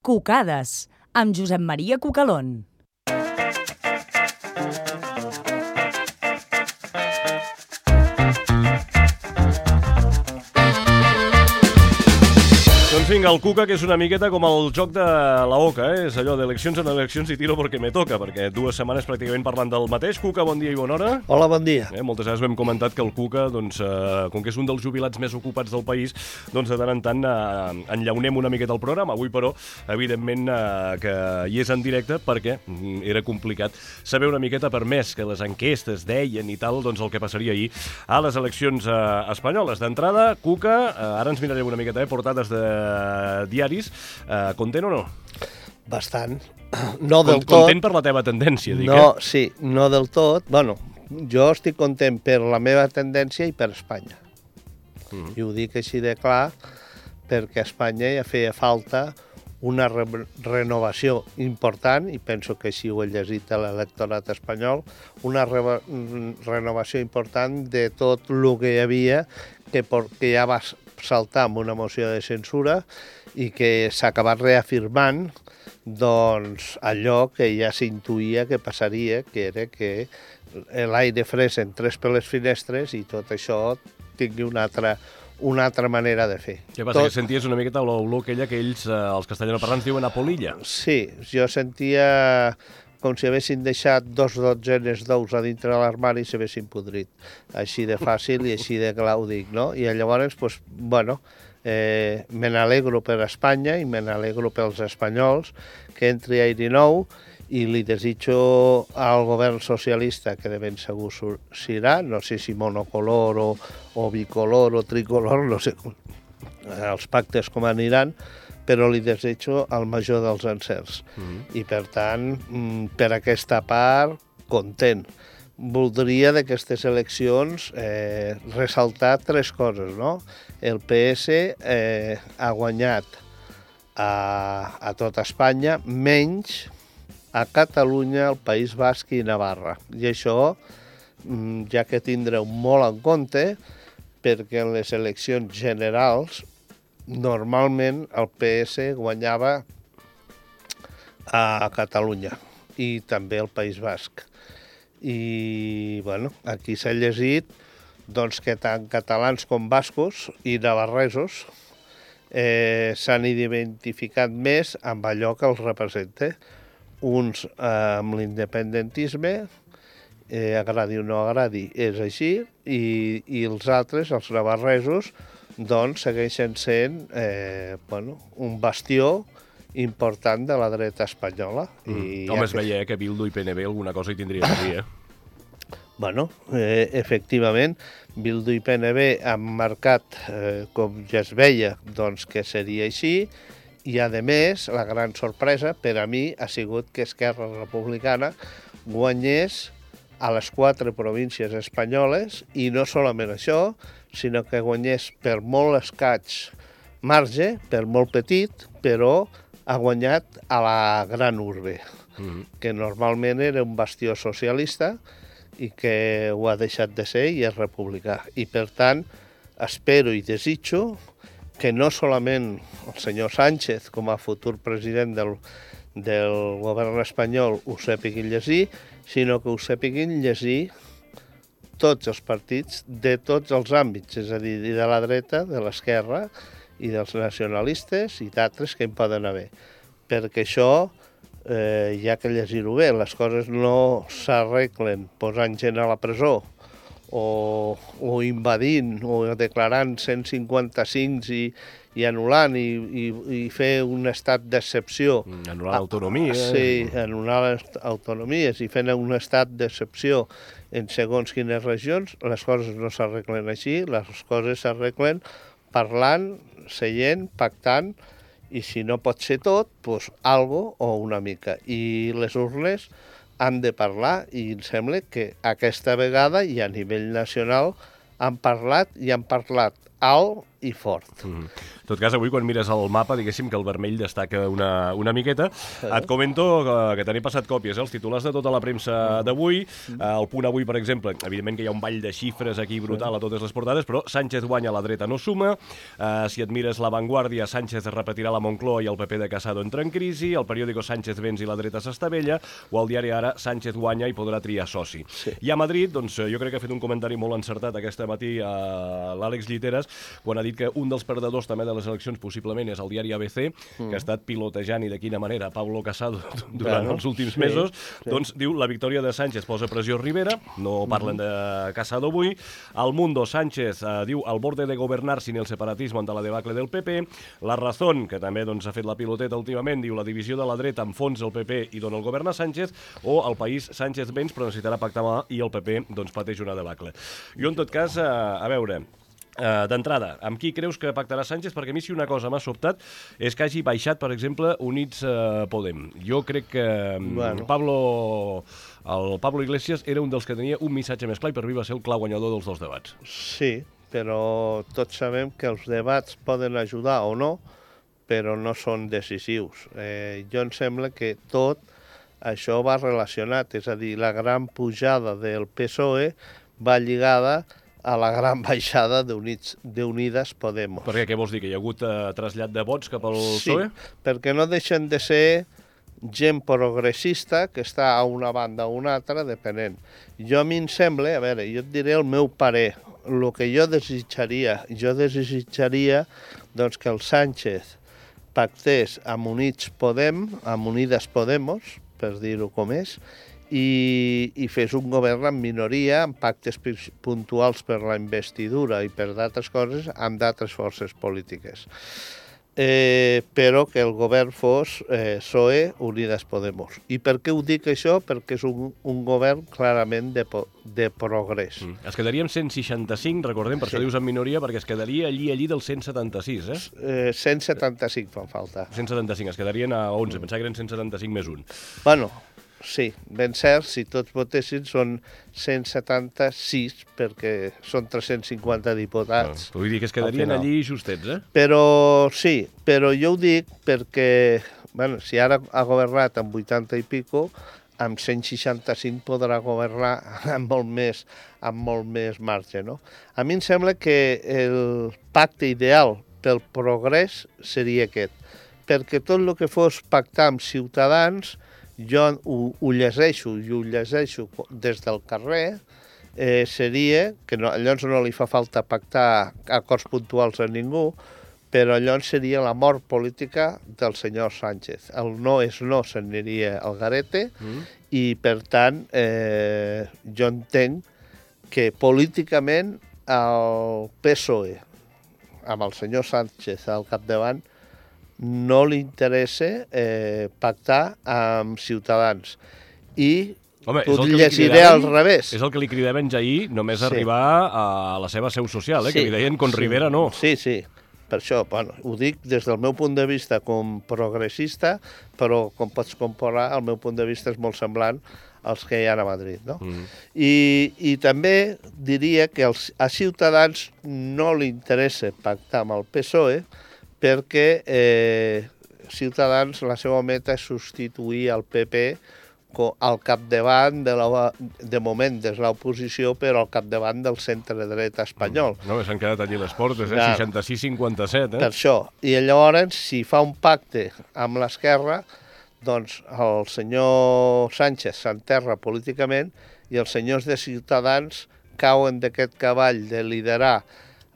Cucades, amb Josep Maria Cucalón. Doncs vinga, el Cuca, que és una miqueta com el joc de la oca, és allò d'eleccions en eleccions i tiro perquè me toca, perquè 2 setmanes pràcticament parlant del mateix. Cuca, bon dia i bona hora. Hola, bon dia. Moltes vegades hem comentat que el Cuca, doncs, com que és un dels jubilats més ocupats del país, doncs de tant en tant enllaunem una miqueta el programa. Avui, però, evidentment que hi és en directe perquè era complicat saber una miqueta, per més que les enquestes deien i tal, doncs el que passaria ahir a les eleccions espanyoles. D'entrada, Cuca, ara ens mirarem una miqueta, portades de diaris, content o no? Bastant. No del tot. Content per la teva tendència, dic, No, sí, no del tot. Bueno, jo estic content per la meva tendència i per Espanya. I ho dic així de clar perquè a Espanya ja feia falta una renovació important, i penso que així ho he llegit a l'electorat espanyol, una renovació important de tot el que hi havia, que ja va saltar amb una moció de censura i que s'ha acabat reafirmant doncs, allò que ja s'intuïa que passaria, que era que l'aire fresc entrés per les finestres i tot això tingui una altra manera de fer. Què passa, que senties una miqueta l'olor aquella que ells, els castellanoparlants, diuen a polilla? Sí, jo sentia com si haguessin deixat 2 dotzenes d'ous a dintre de l'armari i s'haguessin podrit. Així de fàcil i així de clar ho dic, no? I llavors, doncs, bueno, me n'alegro per Espanya i me n'alegro pels espanyols que entri aire nou, i li desitjo al govern socialista, que de ben segur serà, no sé si monocolor o bicolor o tricolor, no sé els pactes com aniran, però li desitjo el major dels encerts. I, per tant, per aquesta part, content. Voldria d'aquestes eleccions ressaltar 3 coses, no? El PS ha guanyat a tot Espanya, menys a Catalunya, el País Basc i Navarra. I això ja que tindreu molt en compte, perquè en les eleccions generals normalment el PS guanyava a Catalunya i també al País Basc. I bueno, aquí s'ha llegit doncs, que tant catalans com bascos i navarresos s'han identificat més amb allò que els representa. Uns amb l'independentisme, agradi o no agradi, és així, i els altres, els navarresos, doncs segueixen sent un bastió important de la dreta espanyola. Home, es veia que Bildu i PNB alguna cosa hi tindrien a dir, Bueno, efectivament, Bildu i PNB han marcat, com ja es veia, doncs que seria així, i a més, la gran sorpresa per a mi ha sigut que Esquerra Republicana guanyés a les 4 províncies espanyoles, i no solament això, sinó que guanyés per molt escaig marge, per molt petit, però ha guanyat a la gran urbe, que normalment era un bastió socialista i que ho ha deixat de ser i és republicà. I, per tant, espero i desitjo que no solament el senyor Sánchez, com a futur president del govern espanyol, ho sàpiguin llegir, sinó que ho sàpiguin llegir tots els partits de tots els àmbits, és a dir, de la dreta, de l'esquerra i dels nacionalistes i d'altres que hi poden haver. Perquè això, hi ha que llegir-ho bé, les coses no s'arreglen posant gent a la presó o invadint o declarant 155 i anul·lant i fer un estat d'excepció. Anul·lar l'autonomia. Sí, anul·lar les autonomies i fent un estat d'excepció en segons quines regions. Les coses no s'arreglen així, les coses s'arreglen parlant, seient, pactant, i si no pot ser tot, doncs algo o una mica. I les urnes han de parlar, i em sembla que aquesta vegada i a nivell nacional han parlat alt i fort. En tot cas, avui quan mires el mapa, diguéssim que el vermell destaca una miqueta. Et comento que t'he passat còpies, els titulars de tota la premsa d'avui. El Punt Avui, per exemple, evidentment que hi ha un ball de xifres aquí brutal a totes les portades, però Sánchez guanya, la dreta no suma. Si et mires La Vanguardia, Sánchez repetirà la Moncloa i el PP de Casado entra en crisi. El periòdico Sánchez venç i la dreta s'estavella. O el diari Ara, Sánchez guanya i podrà triar soci. I a Madrid, doncs jo crec que ha fet un comentari molt encertat aquest matí a l'Àlex Lliteres, quan ha dit que un dels perdedors també de les eleccions possiblement és el diari ABC, que ha estat pilotejant i de quina manera Pablo Casado durant els últims mesos. Doncs diu, la victòria de Sánchez posa pressió a Rivera, no parlen de Casado avui. Al Mundo, Sánchez diu al borde de governar sin el separatismo ante la debacle del PP. La Razón, que també ha fet la piloteta últimament, diu la divisió de la dreta enfonsa el PP i dona el govern a Sánchez. O El País, Sánchez venç però necessitarà pactar i el PP pateix una debacle. Jo, en tot cas, a veure... D'entrada, amb qui creus que pactarà Sánchez? Perquè a mi si una cosa m'ha sobtat és que hagi baixat, per exemple, Units Podem. Jo crec que el Pablo Iglesias era un dels que tenia un missatge més clar i per mi va ser el clar guanyador dels dos debats. Sí, però tots sabem que els debats poden ajudar o no, però no són decisius. Jo em sembla que tot això va relacionat, és a dir, la gran pujada del PSOE va lligada a la gran baixada d'Unides Podemos. Per què? Què vols dir? Que hi ha hagut trasllat de vots cap al PSOE? Sí, perquè no deixen de ser gent progressista que està a una banda o una altra, depenent. A mi em sembla, a veure, jo et diré el meu parer, el que jo desitjaria doncs, que el Sánchez pactés amb Unides Podemos, per dir-ho com és, i fes un govern en minoria, amb pactes puntuals per la investidura i per d'altres coses, amb d'altres forces polítiques. Però que el govern fos PSOE, Unides Podemos. I per què ho dic això? Perquè és un govern clarament de progrés. Es quedaria amb 165, recordem, per això dius en minoria, perquè es quedaria allí del 176, 175 fan falta. 175, es quedarien a 11, pensava que eren 175 més 1. Bueno, sí, ben cert, si tots votessin són 176, perquè són 350 diputats. Vull dir que es quedarien allí justets, Però sí, però jo ho dic perquè, bueno, si ara ha governat amb 80 i pico, amb 165 podrà governar amb molt més marge, no? A mi em sembla que el pacte ideal pel progrés seria aquest, perquè tot el que fos pactar amb Ciutadans, jo ho llegeixo des del carrer, seria, que llavors no li fa falta pactar acords puntuals a ningú, però llavors seria la mort política del senyor Sánchez. El no és no, s'aniria al garete, i per tant jo entenc que políticament el PSOE, amb el senyor Sánchez al capdavant, no li interessa pactar amb Ciutadans. I t'ho llegiré al revés. És el que li cridaven ja ahir, només arribar a la seva seu social, que li deien con Rivera no. Sí, per això, bueno, ho dic des del meu punt de vista com progressista, però com pots comparar, el meu punt de vista és molt semblant als que hi ha a Madrid, no? I també diria que a Ciutadans no li interessa pactar amb el PSOE, perquè Ciutadans, la seva meta és substituir el PP al capdavant, de moment des de l'oposició, però al capdavant del centre-dreta espanyol. No, s'han quedat allí les portes, 66-57. Per això. I llavors, si fa un pacte amb l'esquerra, doncs el senyor Sánchez s'enterra políticament i els senyors de Ciutadans cauen d'aquest cavall de liderar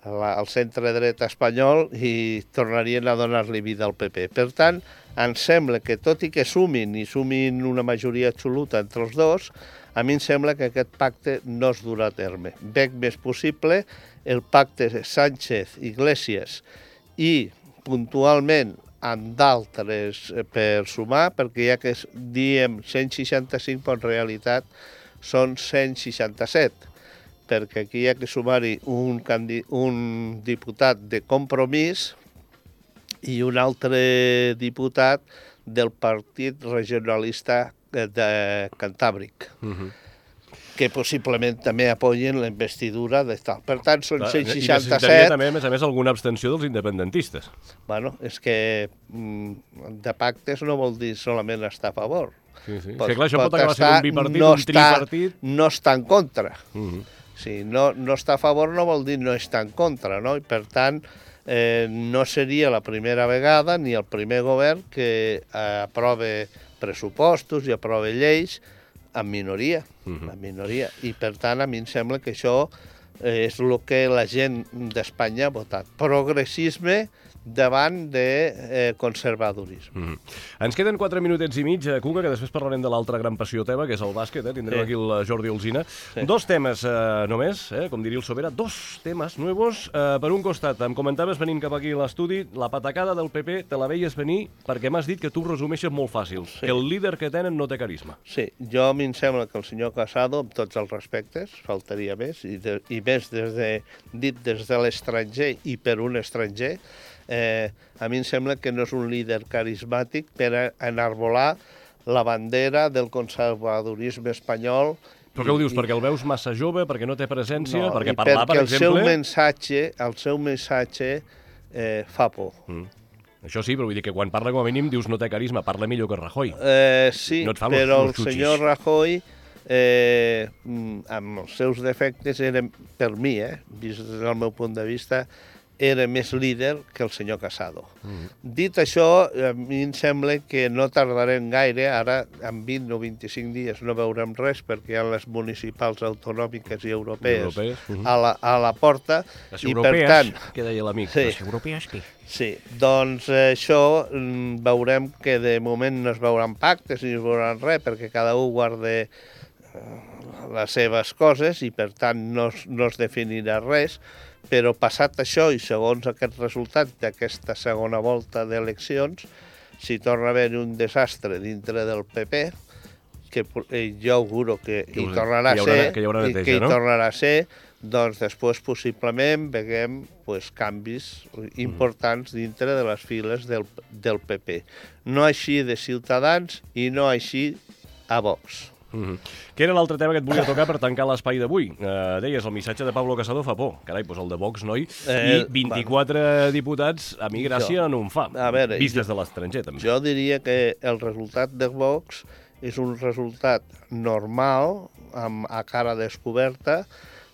el centre-dreta espanyol i tornarien a donar-li vida al PP. Per tant, em sembla que tot i que sumin una majoria absoluta entre els dos, a mi em sembla que aquest pacte no es durà a terme. Veig més possible el pacte Sánchez-Iglesias i puntualment amb d'altres per sumar, perquè ja que diem 165, però en realitat són 167. Perquè aquí hi ha que sumar-hi un diputat de Compromís i un altre diputat del Partit Regionalista de Cantàbric. que possiblement també apoyen la investidura de tal. Per tant, són I 167... necessitaria també, a més, alguna abstenció dels independentistes. Bueno, és que de pactes no vol dir solament estar a favor. Sí. És que clar, això pot acabar sent un bipartit, no un tripartit... No està en contra. Sí, no està a favor no vol dir no està en contra, no? I per tant, no seria la primera vegada ni el primer govern que aprove pressupostos i aprove lleis en minoria, I per tant a mi em sembla que això és el que la gent d'Espanya ha votat. Progressisme davant de conservadorisme. Ens queden 4 minutets i mig, Cuca, que després parlarem de l'altra gran passió teva, que és el bàsquet. Tindrem aquí el Jordi Alsina. Sí. 2 temes només, com diria el Sobera, 2 temes nuevos. Per un costat, em comentaves venint cap aquí a l'estudi, la patacada del PP te la veies venir perquè m'has dit que tu resumeixes molt fàcil, que el líder que tenen no té carisma. Sí, jo a mi em sembla que el senyor Casado, amb tots els respectes, faltaria més, i més dit des de l'estranger i per un estranger, a mi em sembla que no és un líder carismàtic per enarbolar la bandera del conservadorisme espanyol. Però què ho dius? Perquè el veus massa jove, perquè no té presència, no, perquè parlar, per exemple... el seu missatge fa por. Això sí, però vull dir que quan parla com a mínim dius no té carisma, parla millor que Rajoy. Sí, no però el senyor Rajoy, amb els seus defectes, per mi, vist des del meu punt de vista, era més líder que el senyor Casado. Dit això, a mi em sembla que no tardarem gaire, ara en 20 o 25 dies no veurem res perquè hi ha les municipals autonòmiques i europees a la porta. Les europees, que deia l'amic, les europees què? Sí, doncs això veurem que de moment no es veuran pactes ni es veuran res perquè cada un guarda les seves coses i per tant no es definirà res, però passat això i segons aquest resultat d'aquesta segona volta d'eleccions, si torna a haver un desastre dintre del PP, que jo auguro que hi tornarà a ser, doncs després possiblement veiem canvis importants dintre de les files del PP. No així de Ciutadans i no així a Vox. Què era l'altre tema que et volia tocar per tancar l'espai d'avui? Deies, el missatge de Pablo Casado fa por. Carai, doncs el de Vox, noi. I 24 diputats, a mi gràcia no em fa. Vist des de l'estranger, també. Jo diria que el resultat de Vox és un resultat normal, a cara descoberta,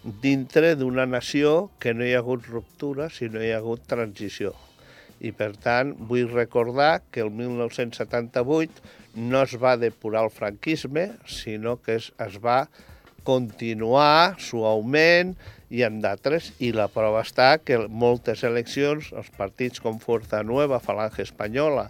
dintre d'una nació que no hi ha hagut ruptura, sinó hi ha hagut transició. I, per tant, vull recordar que el 1978 no es va depurar el franquisme, sinó que es va continuar suaument i amb d'altres, i la prova està que moltes eleccions, els partits com Fuerza Nueva, Falange Espanyola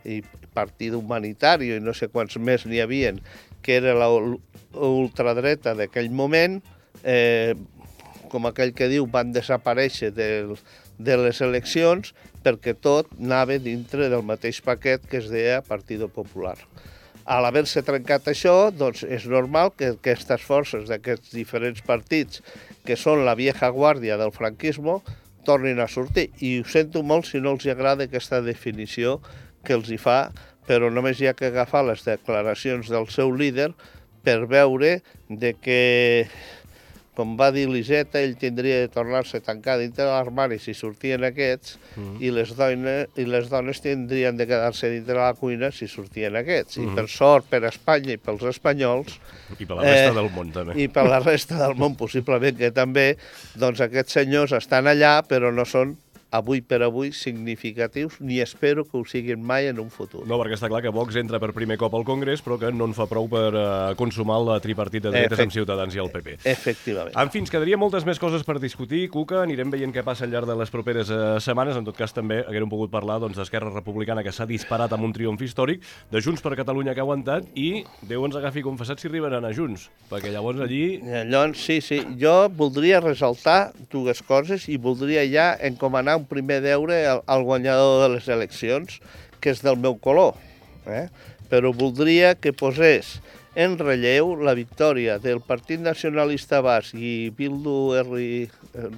i Partit Humanitario i no sé quants més n'hi havien, que era l'ultradreta d'aquell moment, com aquell que diu, van desaparèixer de les eleccions perquè tot anava dintre del mateix paquet que es deia Partido Popular. A l'haver-se trencat això, doncs és normal que aquestes forces d'aquests diferents partits, que són la vieja guàrdia del franquisme, tornin a sortir. I ho sento molt si no els agrada aquesta definició que els hi fa, però només hi ha que agafar les declaracions del seu líder per veure de que, com va dir l'Iseta, ell tindria de tornar-se a tancar dintre de l'armari si sortien aquests, i les dones tindrien de quedar-se dintre de la cuina si sortien aquests. I per sort, per Espanya i pels espanyols... I per la resta del món, també. I per la resta del món, possiblement que també, doncs aquests senyors estan allà, però no són avui per avui significatius, ni espero que ho siguin mai en un futur. No, perquè està clar que Vox entra per primer cop al Congrés, però que no en fa prou per consumar la tripartit de dretes amb Ciutadans i el PP. Efectivament. En fi, ens quedaria moltes més coses per discutir, Cuca, anirem veient què passa al llarg de les properes setmanes. En tot cas, també haguérem pogut parlar d'Esquerra Republicana, que s'ha disparat amb un triomf històric, de Junts per Catalunya, que ha aguantat, i Déu ens agafi confessat si arriben a anar junts, perquè llavors allí... Llavors, sí, jo voldria ressaltar dues coses i voldria ja encomanar un primer deure al guanyador de les eleccions, que és del meu color, però voldria que posés en relleu la victòria del Partit Nacionalista Basc i Bildu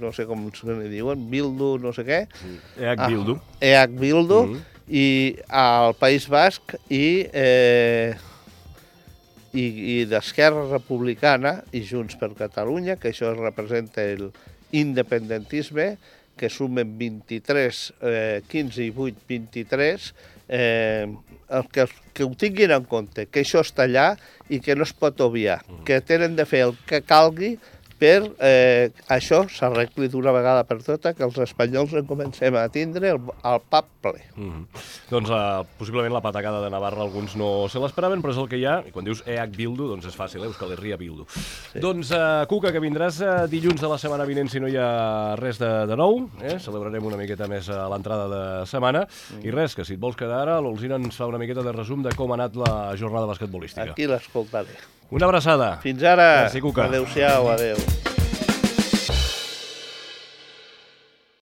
no sé com se ne diuen, Bildu no sé què. Bildu. Bildu, i al País Basc i i d'Esquerra Republicana i Junts per Catalunya, que això representa l'independentisme, que sumen 23, 15 i 8, 23, que ho tinguin en compte, que això està allà i que no es pot obviar, que tenen de fer el que calgui per això s'arregli d'una vegada per tota, que els espanyols en comencem a tindre el pap ple. Doncs possiblement la patacada de Navarra alguns no se l'esperaven, però és el que hi ha, i quan dius EH Bildu, doncs és fàcil, Euskal Herria Bildu. Sí. Doncs, Cuca, que vindràs dilluns de la setmana vinent si no hi ha res de nou, celebrarem una miqueta més a l'entrada de setmana, i res, que si et vols quedar ara, l'Olzina ens fa una miqueta de resum de com ha anat la jornada basquetbolística. Aquí l'escoltaré. Una abraçada. Fins ara. Merci, Cuca. Adéu-siau, adéu.